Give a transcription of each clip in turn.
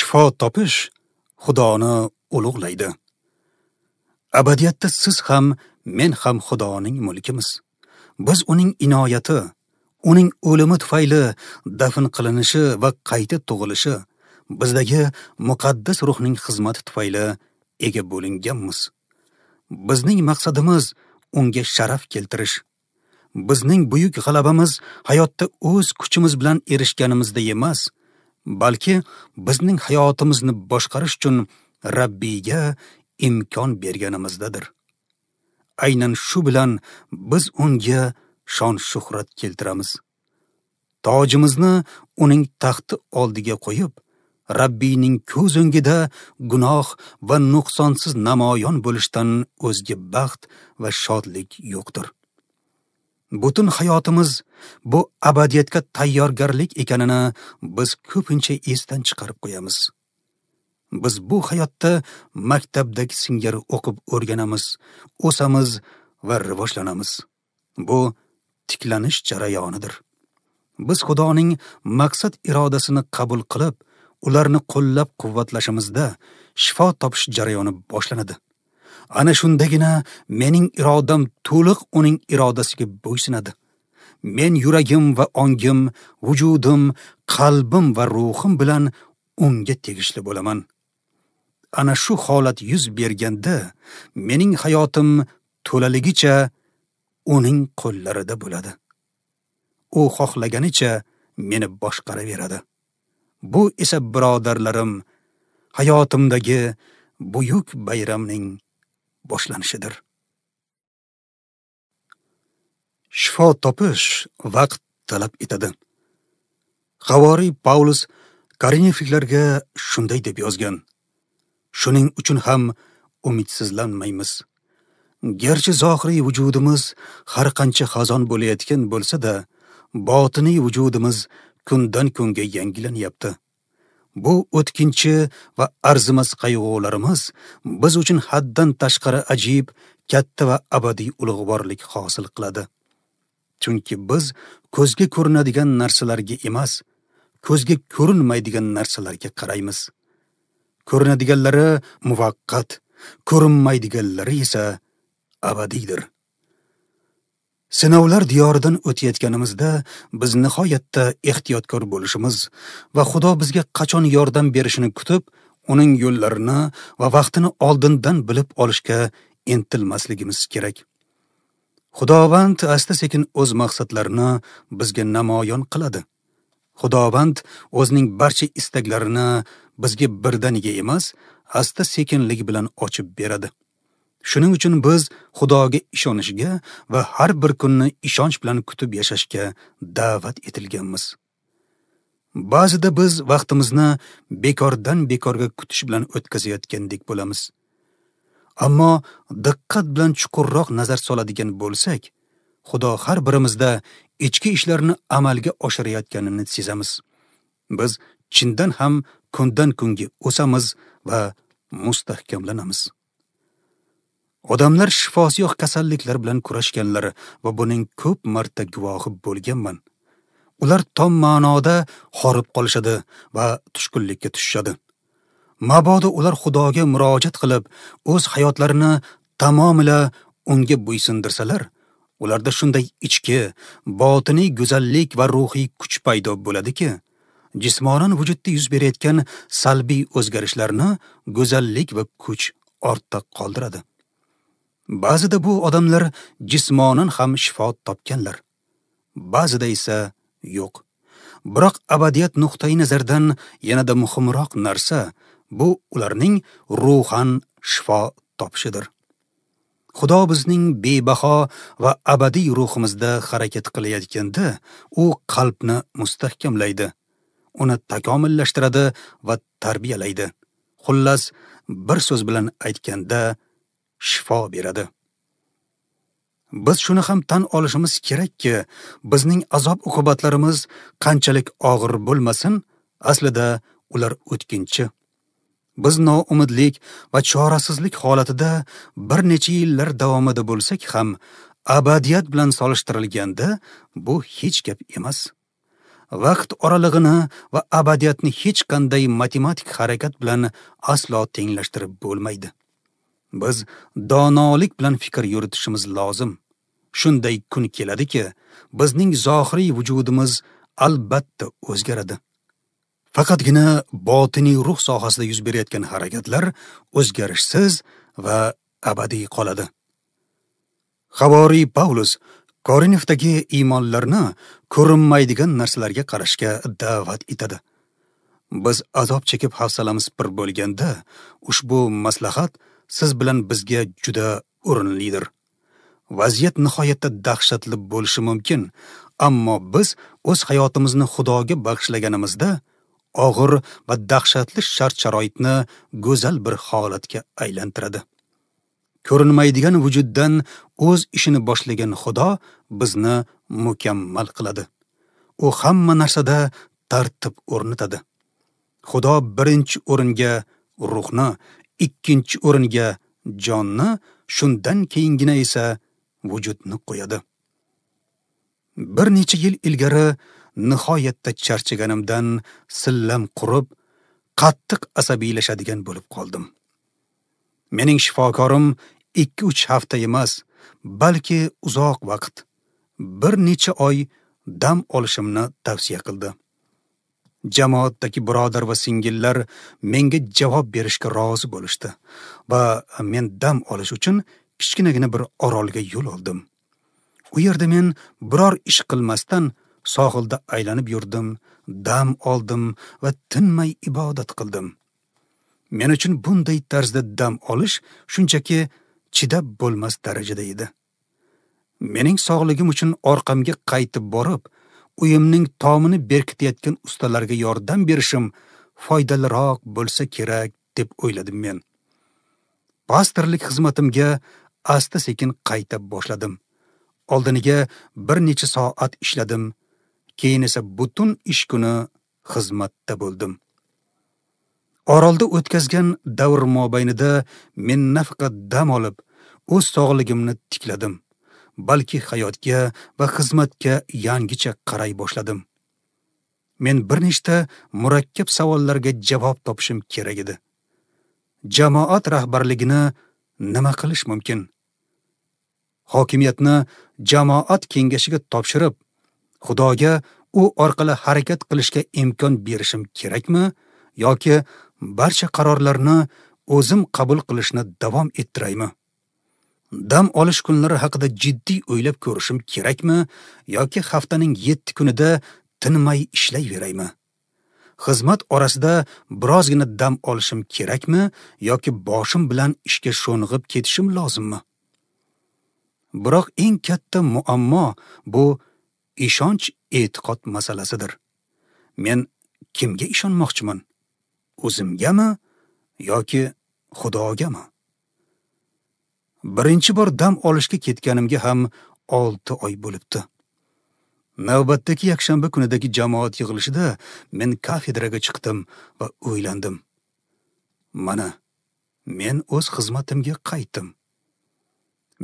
Shifo topish Xudoni ulug'laydi. Abadiyatda siz ham, men ham Xudoning mulkimiz. Biz uning inoyati, uning o'limi tufayli dafn qilinishi va qayta tug'ilishi, bizdagi muqaddas ruhning xizmati tufayli ega bo'linganmiz. Bizning maqsadimiz unga sharaf keltirish. Bizning buyuk g'alabamiz hayotda o'z kuchimiz bilan erishganimizda emas, balki bizning hayotimizni boshqarish uchun Rabbiyga imkon berganimizdadir. Aynan shu bilan biz unga shon-shuhrat keltiramiz. Tojimizni uning taxti oldiga qo'yib, Rabbiyning ko'z o'ngida gunoh va nuqsonsiz namoyon bo'lishdan o'zga baxt va shodlik yo'qdir. Butun hayotimiz bu abadiyatga tayyorgarlik ekanini biz ko'pincha esdan chiqarib qo'yamiz. Biz bu hayotda maktabdagi singari o'qib o'rganamiz, o'samiz va rivojlanamiz. Bu tiklanish jarayonidir. Biz Xudoning maqsad irodasini qabul qilib, ularni qo'llab-quvvatlashimizda shifo topish jarayoni boshlanadi. Ana shundagina mening irodam to'liq uning irodasiga bo'ysunadi. Men yuragim va ongim, vujudim, qalbim va ruhim bilan unga tegishli bo'laman. Ana shu holat yuz berganda mening hayotim to'laligicha uning qo'llarida bo'ladi. U xohlaganicha meni boshqaraveradi. Bu esa, birodarlarim, hayotimdagi buyuk bayramning boshlanishidir. Shifo topish vaqt talab etadi. Havoriy Paulus Korinfliklarga shunday deb yozgan: Shuning uchun ham umidsizlanmaymiz. Garchi zohiriy vujudimiz har qancha xazon bo'layotgan bo'lsa-da, botiniy vujudimiz kundan kunga yangilanyapti. Bu o'tkinchi va arzimas qayg'ularimiz biz uchun haddan tashqari ajib, katta va abadiy ulug'vorlik hosil qiladi. Chunki biz ko'zga ko'rinadigan narsalarga emas, ko'zga ko'rinmaydigan narsalarga qaraymiz. Ko'rinadiganlari muvaqqat, ko'rinmaydiganlari esa abadiydir. Sinovlar diyoridan o'tayotganimizda biz nihoyatda ehtiyotkor bo'lishimiz va Xudo bizga qachon yordam berishini kutib, uning yo'llarini va vaqtini oldindan bilib olishga intilmasligimiz kerak. Xudovand asta-sekin o'z maqsadlarini bizga namoyon qiladi. Xudovand o'zining barcha istaklarini bizga birdaniga emas, asta-sekinlik bilan ochib beradi. Shuning uchun biz Xudoga ishonishga va har bir kunni ishonch bilan kutib yashashga da'vat etilganmiz. Ba'zida biz vaqtimizni bekordan bekorga kutish bilan o'tkazayotgandek bo'lamiz. Ammo diqqat bilan chuqurroq nazar soladigan bo'lsak, Xudo har birimizda ichki ishlarni amalga oshirayotganini sezamiz. Biz chindan ham kundan kunga o'samiz va mustahkamlanamiz. Odamlar shifosi yo'q kasalliklar bilan kurashganlar va buning ko'p marta guvohi bo'lganman. Ular tom ma'noda horib qolishadi va tushkunlikka tushishadi. Mabodo ular Xudoga murojaat qilib, o'z hayotlarini tamomila unga bo'ysundirsalar, ularda shunday ichki, botiniy go'zallik va ruhiy kuch paydo bo'ladiki, jismonan vujudda yuz berayotgan salbiy o'zgarishlarni go'zallik va kuch ortda qoldiradi. Ba'zida bu odamlar jismonan ham shifo topganlar, ba'zida esa yo'q. Biroq abadiyat nuqtai nazaridan yanada muhimroq narsa bu ularning ruhan shifo topishidir. Xudo bizning bebaho va abadiy ruhimizda harakat qilayotganda, u qalbni mustahkamlaydi, uni takomillashtiradi va tarbiyalaydi. Xullas, bir so'z bilan aytganda, shifo beradi. Biz shuni ham tan olishimiz kerakki, bizning azob-uqubatlarimiz qanchalik og'ir bo'lmasin, aslida ular o'tkinchi. Biz noumidlik va chorasizlik holatida bir necha yillar davomida bo'lsak ham, abadiyat bilan solishtirilganda bu hech gap emas. Vaqt oralig'ini va abadiyatni hech qanday matematik harakat bilan aslo tenglashtirib bo'lmaydi. Biz donolik bilan fikr yuritishimiz lozim. Shunday kun keladiki, bizning zohiriy vujudimiz albatta o'zgaradi. Faqatgina botiniy ruh sohasida yuz berayotgan harakatlar o'zgarishsiz va abadiy qoladi. Havoriy Pavlus Korinfdagi iymonlarni ko'rinmaydigan narsalarga qarashga da'vat etadi. Biz azob chekib hafsalamiz pir bo'lganda, ushbu maslahat siz bilan bizga juda o'rinlidir. Vaziyat nihoyatda dahshatli bo'lishi mumkin, ammo biz o'z hayotimizni Xudoga bag'ishlaganimizda og'ir va dahshatli shart-sharoitni go'zal bir holatga aylantiradi. Ko'rinmaydigan vujuddan o'z ishini boshlagan Xudo bizni mukammal qiladi. U hamma narsada tartib o'rnatadi. Xudo birinchi o'ringa ruhni, ikkinchi o'ringa jonni, shundan keyingina esa vujudni qo'yadi. Bir necha yil ilgari nihoyatda charchaganimdan sillam qurib, qattiq asabiylashadigan bo'lib qoldim. Mening shifokorim 2-3 hafta emas, balki uzoq vaqt, bir necha oy dam olishimni tavsiya qildi. Jamoatdagi birodar va singillar menga javob berishga rozi bo'lishdi va men dam olish uchun kichkinagina bir orolga yo'l oldim. U yerda men biror ish qilmasdan sohilda aylanib yurdim, dam oldim va tinmay ibodat qildim. Men uchun bunday tarzda dam olish shunchaki chidab bo'lmas darajada edi. Mening sog'ligim uchun orqamga qaytib borib, uyimning tomini berkitayotgan ustalarga yordam berishim foydaliroq bo'lsa kerak deb o'yladim men. Pastorlik xizmatimga asta-sekin qayta boshladim. Oldiniga bir necha soat ishladim, keyin esa butun ish kuni xizmatda bo'ldim. Orolda o'tkazgan davr mobaynida men nafaqat dam olib, o'z sog'ligimni tikladim, balki hayotga va xizmatga yangicha qaray boshladim. Men bir nechta murakkab savollarga javob topishim kerak edi. Jamoat rahbarligini nima qilish mumkin? Hokimiyatni jamoat kengashiga topshirib, Xudoga u orqali harakat qilishga imkon berishim kerakmi yoki barcha qarorlarni o'zim qabul qilishni davom ettiraymi? Dam olish kunlari haqida jiddiy o'ylab ko'rishim kerakmi yoki haftaning 7 kunida tinmay ishlayveraymi? Xizmat orasida birozgina dam olishim kerakmi yoki boshim bilan ishga sho'ng'ib ketishim lozimmi? Biroq eng katta muammo bu ishonch e'tiqod masalasidir. Men kimga ishonmoqchiman? O'zimgami yoki Xudogami? Birinchi bor dam olishga ketganimga ham 6 oy bo'libdi. Navbatdagi yakshanba kunidagi jamoat yig'ilishida men kafedraga chiqdim va o'ylandim. Mana, men o'z xizmatimga qaytdim.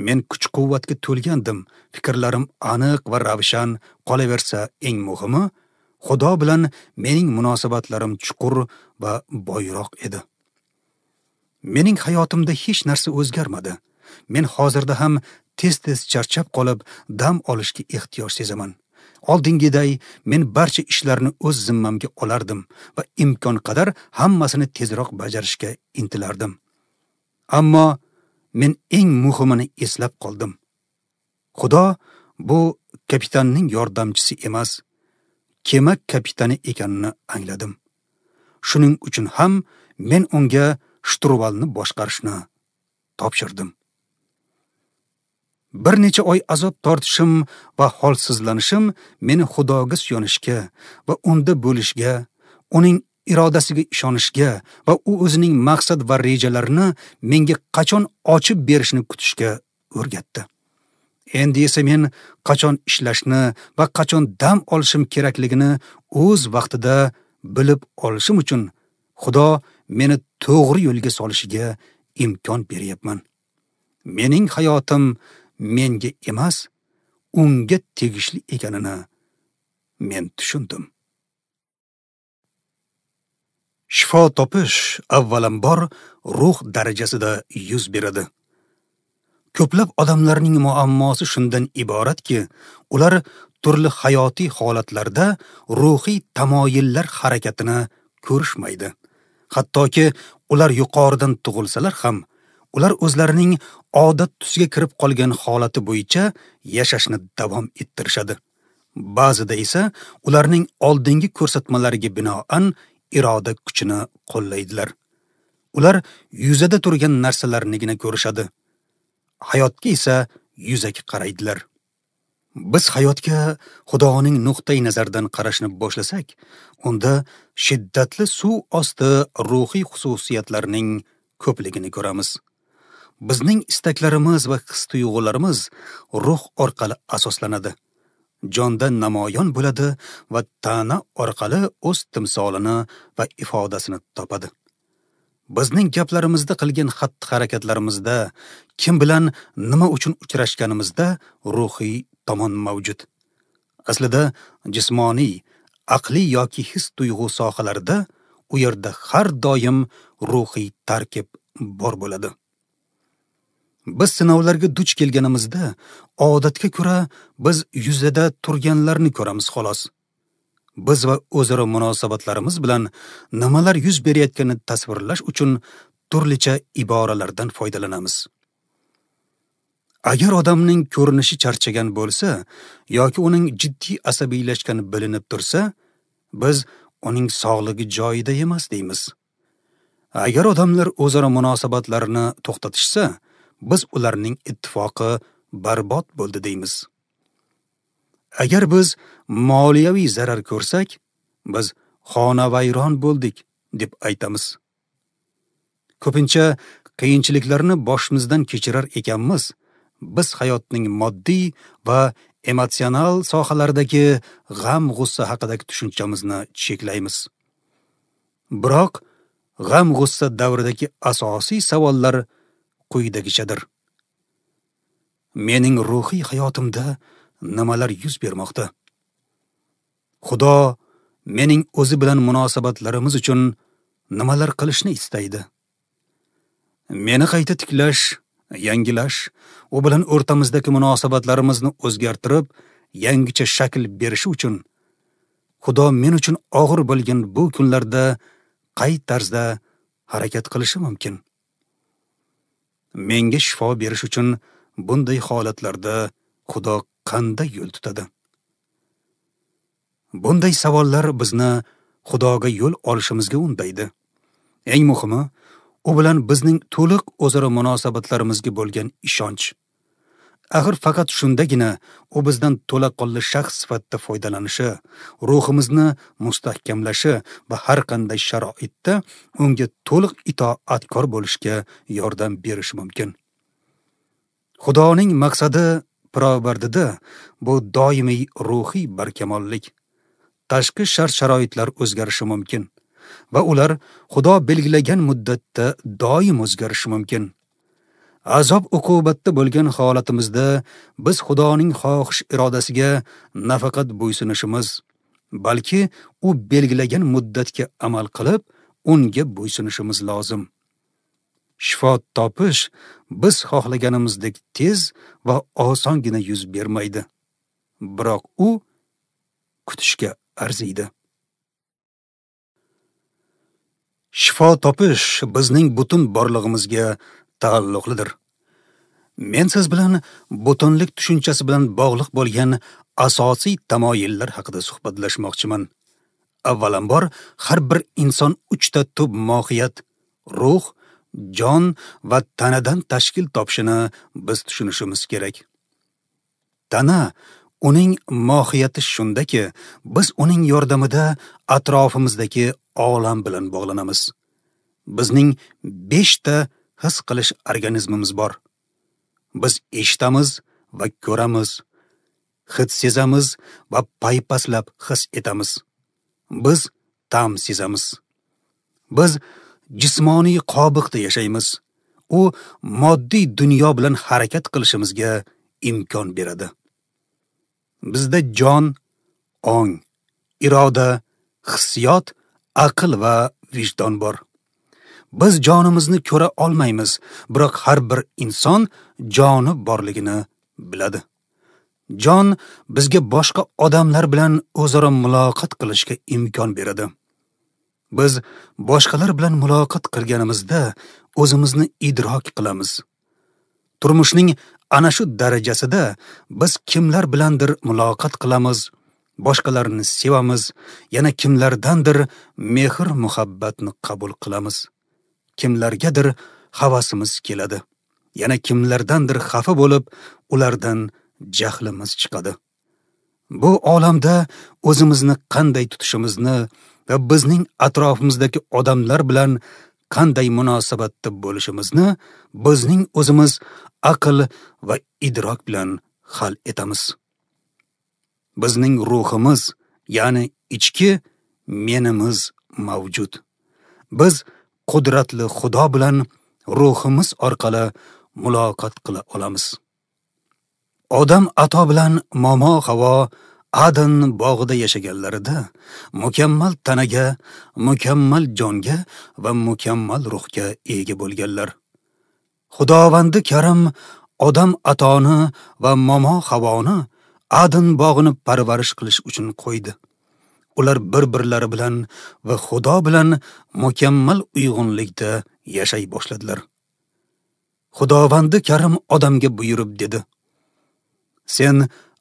Men kuch-quvvatga to'lgandim, fikrlarim aniq va ravshan, qolaversa eng muhimi, Xudo bilan mening munosabatlarim chuqur va boyroq edi. Mening hayotimda hech narsa o'zgarmadi. Men hozirda ham tez-tez charchab qolib, dam olishga ehtiyoj sezaman. Oldingiday men barcha ishlarni o'z zimmamga olardim va imkon qadar hammasini tezroq bajarishga intilardim. Ammo men eng muhimini eslab qoldim. Xudo bu kapitanning yordamchisi emas, kema kapitani ekanini angladim. Shuning uchun ham men unga shturvalni boshqarishni topshirdim. Bir necha oy azob tortishim va holsizlanishim meni Xudoga suyanishga va unda bo'lishga, uning irodasiga ishonishga va u o'zining maqsad va rejalarini menga qachon ochib berishini kutishga o'rgatdi. Endi esa men qachon ishlashni va qachon dam olishim kerakligini o'z vaqtida bilib olishim uchun Xudo meni to'g'ri yo'lga solishiga imkon beryapman. Mening hayotim menga emas, unga tegishli ekanini men tushundim. Shifo topish avvalambor ruh darajasida yuz beradi. Ko'plab odamlarning muammosi shundan iboratki, ular turli hayotiy holatlarda ruhiy tamoyillar harakatini ko'rishmaydi. Hattoki ular yuqoridan tug'ilsalar ham, ular o'zlarining odat tusiga kirib qolgan holati bo'yicha yashashni davom ettirishadi. Ba'zida esa ularning oldingi ko'rsatmalariga binoan iroda kuchini qo'llaydilar. Ular yuzada turgan narsalarnigina ko'rishadi. Hayotga esa yuzaki qaraydilar. Biz hayotga Xudoning nuqtai nazaridan qarashni boshlasak, unda shiddatli suv osti ruhiy xususiyatlarning ko'pligini ko'ramiz. Bizning istaklarimiz va his-tuyg'ularimiz ruh orqali asoslanadi. Jonda namoyon bo'ladi va tana orqali o'z timsolini va ifodasini topadi. Bizning gaplarimizda, qilgan xatti-harakatlarimizda, kim bilan nima uchun uchrashganimizda ruhiy tomon mavjud. Aslida jismoniy, aqliy yoki his-tuyg'u sohalarida u yerda har doim ruhiy tarkib bor bo'ladi. Biz sinovlarga duch kelganimizda odatga ko'ra biz yuzada turganlarni ko'ramiz xolos. Biz va o'zaro munosabatlarimiz bilan nimalar yuz berayotganini tasvirlash uchun turlicha iboralardan foydalanamiz. Agar odamning ko'rinishi charchagan bo'lsa yoki uning jiddiy asabiylashgani bilinib tursa, biz uning sog'ligi joyida emas deymiz. Agar odamlar o'zaro munosabatlarini to'xtatishsa, biz ularning ittifoqi barbod bo'ldi deymiz. Agar biz moliyaviy zarar ko'rsak, biz xonavayron bo'ldik deb aytamiz. Ko'pincha qiyinchiliklarni boshimizdan kechirar ekanmiz, biz hayotning moddiy va emotsional sohalaridagi g'am-g'ussa haqidagi tushunchamizni cheklaymiz. Biroq g'am-g'ussa davridagi asosiy savollar quyidagichadir. Mening ruhiy hayotimda nimalar yuz bermoqda? Xudo mening o'zi bilan munosabatlarimiz uchun nimalar qilishni istaydi? Meni qayta tiklash, yangilash, u bilan o'rtamizdagi munosabatlarimizni o'zgartirib, yangicha shakl berishi uchun Xudo men uchun og'ir bo'lgan bu kunlarda qay tarzda harakat qilishi mumkin? Menga shifo berish uchun bunday holatlarda Xudo qanday yo'l tutadi? Bunday savollar bizni Xudoga yo'l olishimizga undaydi. Eng muhimi, u bilan bizning to'liq o'zaro munosabatlarimizga bo'lgan ishonch. Axir faqat shundagina u bizdan to'laqonli shaxs sifatida foydalanishi, ruhimizni mustahkamlashi va har qanday sharoitda unga to'liq itoatkor bo'lishga yordam berishi mumkin. Xudoning maqsadi pirovardida bu doimiy ruhiy barkamollik. Tashqi shart-sharoitlar o'zgarishi mumkin va ular Xudo belgilagan muddatda doim o'zgarishi mumkin. Azob uqubatda bo'lgan holatimizda biz Xudoning xohish irodasiga nafaqat bo'ysunishimiz, balki u belgilagan muddatga amal qilib, unga bo'ysunishimiz lozim. Shifo topish biz xohlaganimizdek tez va osongina yuz bermaydi. Biroq u kutishga arziydi. Shifo topish bizning butun borlig'imizga taalluqlidir. Men siz bilan butunlik tushunchasi bilan bog'liq bo'lgan asosiy tamoyillar haqida suhbatlashmoqchiman. Avvalambor, har bir inson 3 ta tub mohiyat, ruh, jon va tanadan tashkil topishini biz tushunishimiz kerak. Tana, uning mohiyati shundaki, biz uning yordamida atrofimizdagi olam bilan bog'lanamiz. Bizning 5 ta his qilish organizmimiz bor. Biz eshitamiz va ko'ramiz, hid sezamiz va paypaslab his etamiz. Biz ta'm sezamiz. Biz jismoniy qobiqda yashaymiz. U moddiy dunyo bilan harakat qilishimizga imkon beradi. Bizda jon, ong, iroda, hissiyot, aql va vijdon bor. Biz jonimizni ko'ra olmaymiz, biroq har bir inson joni borligini biladi. Jon bizga boshqa odamlar bilan o'zaro muloqot qilishga imkon beradi. Biz boshqalar bilan muloqot qilganimizda o'zimizni idrok qilamiz. Turmushning ana shu darajasida biz kimlar bilandir muloqot qilamiz, boshqalarni sevamiz, yana kimlardandir mehr-muhabbatni qabul qilamiz. Kimlargadir havasimiz keladi, yana kimlardandir xafa bo'lib, ulardan jahlimiz chiqadi. Bu olamda o'zimizni qanday tutishimizni va bizning atrofimizdagi odamlar bilan qanday munosabatda bo'lishimizni bizning o'zimiz aql va idrok bilan hal etamiz. Bizning ruhimiz, ya'ni ichki menimiz mavjud. Biz qudratli Xudo bilan ruhimiz orqali muloqot qila olamiz. Odam ato bilan momo Havo Adan bog'ida yashaganlarida mukammal tanaga, mukammal jonga va mukammal ruhga ega bo'lganlar. Xudovandi Karim Odam atoni va momo Havoni Adan bog'ini parvarish qilish uchun qo'ydi. Ular bir-birlari bilan va Xudo bilan mukammal uyg'unlikda yashay boshladilar. Xudovandi Karim odamga buyurib dedi: Sen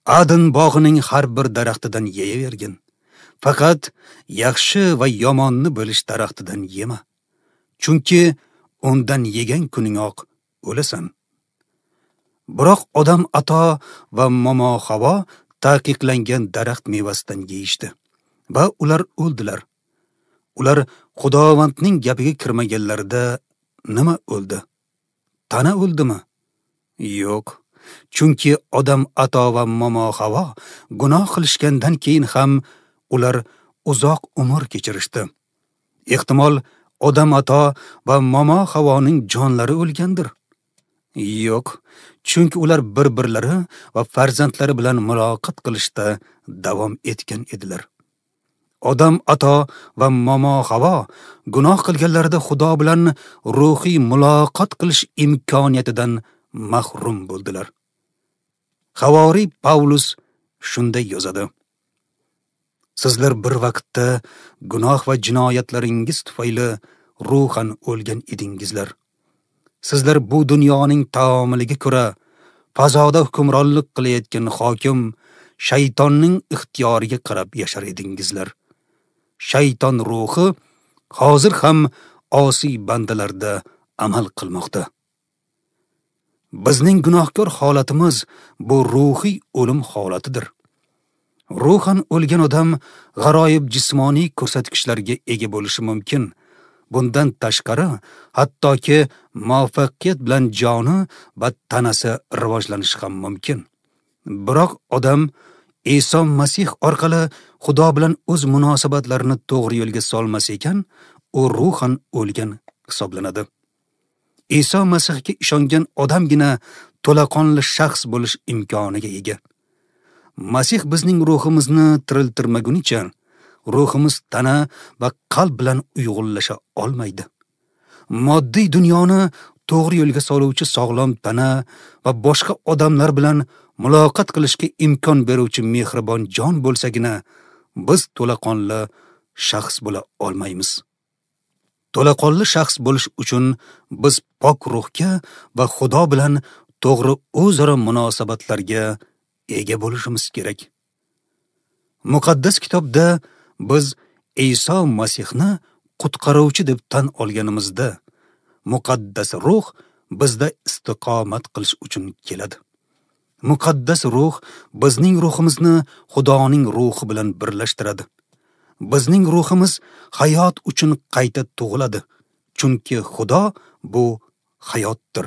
Adan bog'ining har bir daraxtidan yeyavergin. Faqat yaxshi va yomonni bilish daraxtidan yema. Chunki undan yegan kuningoq o'lasan. Biroq Odam ato va momo Havo taqiqlangan daraxt mevasidan yeyishdi va ular o'ldilar. Ular Xudovandning gapiga kirmaganlarida nima o'ldi? Tana o'ldimi? Yo'q. Chunki Odam ato va momo Havo gunoh qilishgandan keyin ham ular uzoq umr kechirishdi. Ehtimol Odam ato va momo Havoning jonlari o'lgandir. Yo'q, chunki ular bir-birlari va farzandlari bilan muloqot qilishda davom etgan edilar. Odam ato va momo Havo gunoh qilganlarida Xudo bilan ruhiy muloqot qilish imkoniyatidan mahrum bo'ldilar. Havoriy Pavlus shunday yozadi: Sizlar bir vaqtda gunoh va jinoyatlaringiz tufayli ruhan o'lgan edingizlar. Sizlar bu dunyoning taomiliga ko'ra fazoda hukmronlik qilayotgan hokim shaytonning ixtiyoriga qarab yashar edingizlar. Shayton ruhi hozir ham osiy bandalarda amal qilmoqda. Bizning gunohkor holatimiz bu ruhiy o'lim holatidir. Ruhan o'lgan odam g'aroyib jismoniy ko'rsatkichlarga ega bo'lishi mumkin. Bundan tashqari, hattoki muvaffaqiyat bilan joni va tanasi rivojlanishi ham mumkin. Biroq odam Iso Masih orqali Xudo bilan o'z munosabatlarini to'g'ri yo'lga solmas ekan, u ruhan o'lgan hisoblanadi. Iso Masihga ishongan odamgina to'laqonli shaxs bo'lish imkoniga ega. Masih bizning ruhimizni tiriltirmagunicha ruhimiz tana va qalb bilan uyg'unlasha olmaydi. Moddiy dunyoni to'g'ri yo'lga soluvchi sog'lom tana va boshqa odamlar bilan muloqot qilishga imkon beruvchi mehribon jon bo'lsagina biz to'laqonli shaxs bo'la olmaymiz. To'laqonli shaxs bo'lish uchun biz pok ruhga va Xudo bilan to'g'ri o'zaro munosabatlarga ega bo'lishimiz kerak. Muqaddas kitobda biz Iso Masihni qutqaruvchi deb tan olganimizda Muqaddas ruh bizda istiqomat qilish uchun keladi. Muqaddas ruh bizning ruhimizni Xudoning ruhi bilan birlashtiradi. Bizning ruhimiz hayot uchun qayta tug'iladi, chunki Xudo bu hayotdir.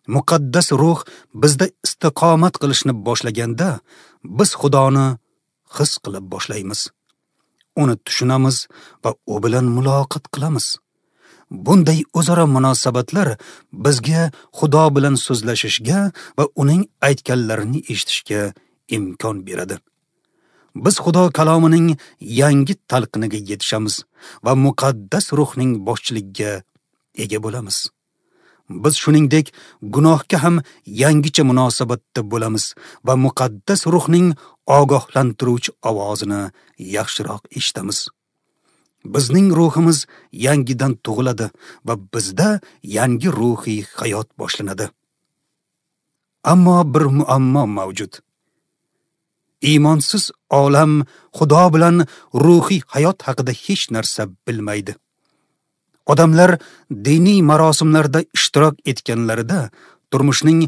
Muqaddas ruh bizda istiqomat qilishni boshlaganda biz Xudoni his qilib boshlaymiz. Uni tushunamiz va u bilan muloqot qilamiz. Bunday o'zaro munosabatlar bizga Xudo bilan so'zlashishga va uning aytganlarini eshitishga imkon beradi. Biz Xudo kalomining yangi talqiniga yetishamiz va muqaddas ruhning boshchiligiga ega bo'lamiz. Biz shuningdek gunohga ham yangicha munosabatda bo'lamiz va muqaddas ruhning ogohlantiruvchi ovozini yaxshiroq eshitamiz. Bizning ruhimiz yangidan tug'iladi va bizda yangi ruhiy hayot boshlanadi. Ammo bir muammo mavjud. Iymonsiz olam Xudo bilan ruhiy hayot haqida hech narsa bilmaydi. Odamlar diniy marosimlarda ishtirok etganlarida, turmushning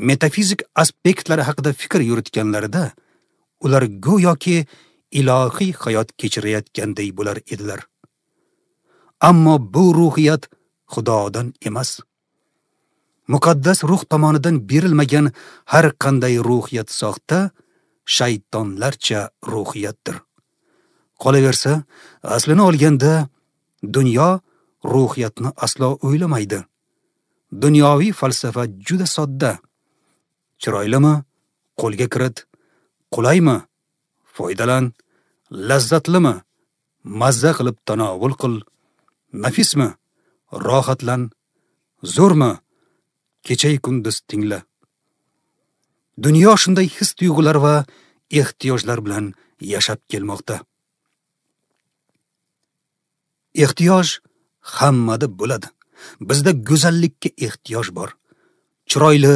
metafizik aspektlari haqida fikr yuritganlarida, ular go'yoki ilohiy hayot kechirayotganday bo'lar edilar. Ammo bu ruhiyat Xudodan emas. Muqaddas ruh tomonidan berilmagan har qanday ruhiyat soxta, shaytonlarcha ruhiyatdir. Qolaversa, aslini olganda dunyo ruhiyatni aslo o'ylamaydi. Dunyoviy falsafa juda sodda. Chiroylimi? Qo'lga kirit. Qulaymi? Foydalan. Lazzatlimi? Mazza qilib tanovul qil. Nafismi? Rohatlan. Zo'rmi? Kecha kunduz tingla. Dunyo shunday his-tuyg'ular va ehtiyojlar bilan yashab kelmoqda. Ehtiyoj hammada bo'ladi. Bizda go'zallikka ehtiyoj bor. Chiroyli,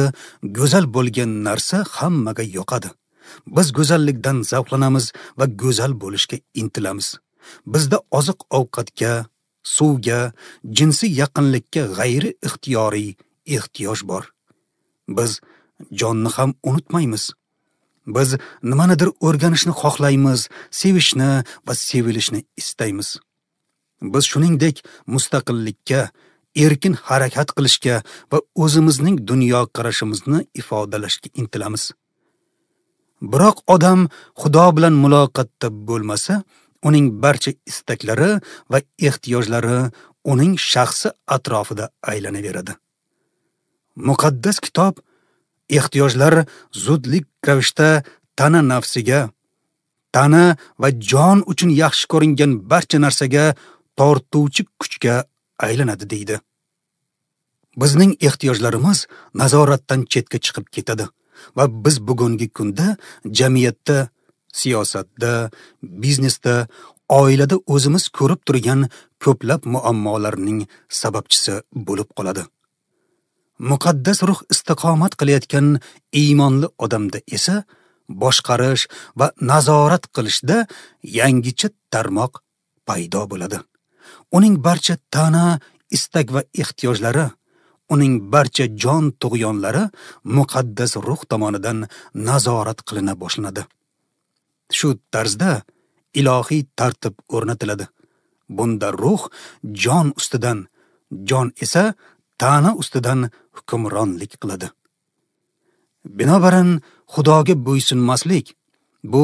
go'zal bo'lgan narsa hammaga yoqadi. Biz go'zallikdan zavqlanamiz va go'zal bo'lishga intilamiz. Bizda oziq-ovqatga, suvga, jinsiy yaqinlikka g'ayri ixtiyoriy ehtiyoj bor. Biz jonni ham unutmaymiz. Biz nimanidir o'rganishni xohlaymiz, sevishni va sevilishni istaymiz. Biz shuningdek mustaqillikka, erkin harakat qilishga va o'zimizning dunyoqarashimizni ifodalashga intilamiz. Biroq odam Xudo bilan muloqotda bo'lmasa, uning barcha istaklari va ehtiyojlari uning shaxsi atrofida aylanaveradi. Muqaddas kitob ehtiyojlar zudlik ravishda tana nafsiga, tana va jon uchun yaxshi ko'ringan barcha narsaga tortuvchi kuchga aylanadi deydi. Bizning ehtiyojlarimiz nazoratdan chetga chiqib ketadi va biz bugungi kunda jamiyatda, siyosatda, biznesda, oilada o'zimiz ko'rib turgan ko'plab muammolarning sababchisi bo'lib qoladi. Muqaddas ruh istiqomat qilayotgan iymonli odamda esa boshqarish va nazorat qilishda yangicha tarmoq paydo bo'ladi. Uning barcha tana, istak va ehtiyojlari, uning barcha jon tug'yonlari muqaddas ruh tomonidan nazorat qilina boshlanadi. Shu tarzda ilohiy tartib o'rnatiladi. Bunda ruh jon ustidan, jon esa tana ustidan hukmronlik qiladi. Binobarin, Xudoga bo'ysunmaslik bu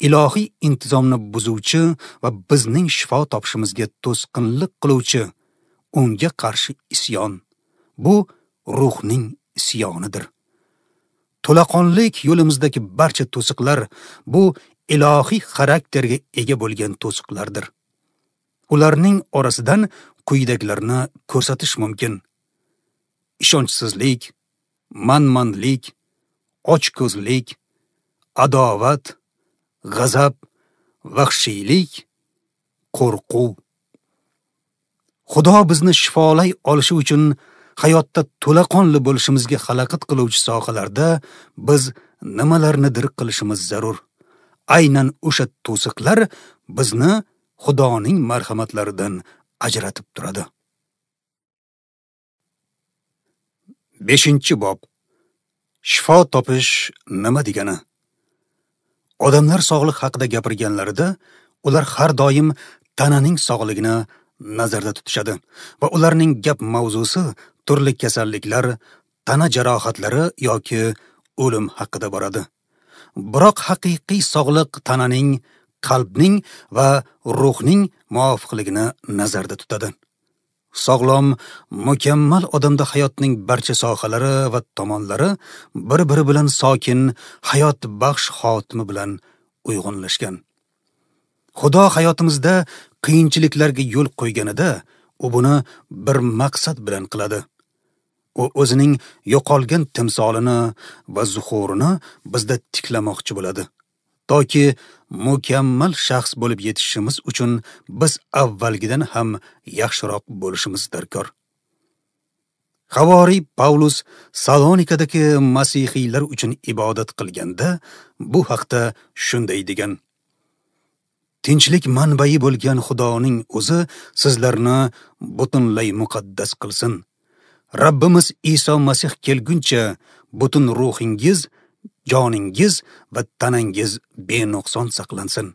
ilohiy intizomni buzuvchi va bizning shifo topishimizga to'sqinlik qiluvchi unga qarshi isyon. Bu ruhning isyonidir. To'laqonlik yo'limizdagi barcha to'siqlar bu ilohiy xarakterga ega bo'lgan to'siqlardir. Ularning orasidan quyidagilarni ko'rsatish mumkin: ishonchsizlik, manmanlik, ochko'zlik, adovat, g'azab, vahshiylik, qo'rquv. Xudo bizni shifolay olishi uchun hayotda to'laqonli bo'lishimizga xalaqit qiluvchi sohalarda biz nimalarnidir qilishimiz zarur. Aynan o'sha to'siqlar bizni Xudoning marhamatlaridan ajratib turadi. 5-bob. Shifo topish nima degani? Odamlar sog'liq haqida gapirganlarida, ular har doim tananing sog'ligini nazarda tutishadi va ularning gap mavzusi turli kasalliklar, tana jarohatlari yoki o'lim haqida boradi. Biroq haqiqiy sog'liq tananing, qalbning va ruhning muvofiqligini nazarda tutadi. Sog'lom, mukammal odamda hayotning barcha sohalari va tomonlari bir-biri bilan sokin, hayot baxsh xotimi bilan uyg'unlashgan. Xudo hayotimizda qiyinchiliklarga yo'l qo'yganida, u buni bir maqsad bilan qiladi. U o'zining yo'qolgan timsolini va zuhurini bizda tiklamoqchi bo'ladi. Toki mukammal shaxs bo'lib yetishishimiz uchun biz avvalgidan ham yaxshiroq bo'lishimiz darkor. Havoriy Pavlus Salonikadagi masihiylar uchun ibodat qilganda bu haqda shunday degan: Tinchlik manbai bo'lgan Xudoning o'zi sizlarni butunlay muqaddas qilsin. Rabbimiz Iso Masih kelguncha butun ruhingiz, joningiz va tanangiz benuqson saqlansin.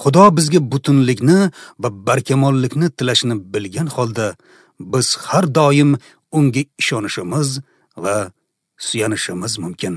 Xudo bizga butunlikni va barkamollikni tilashini bilgan holda biz har doim unga ishonishimiz va suyanishimiz mumkin.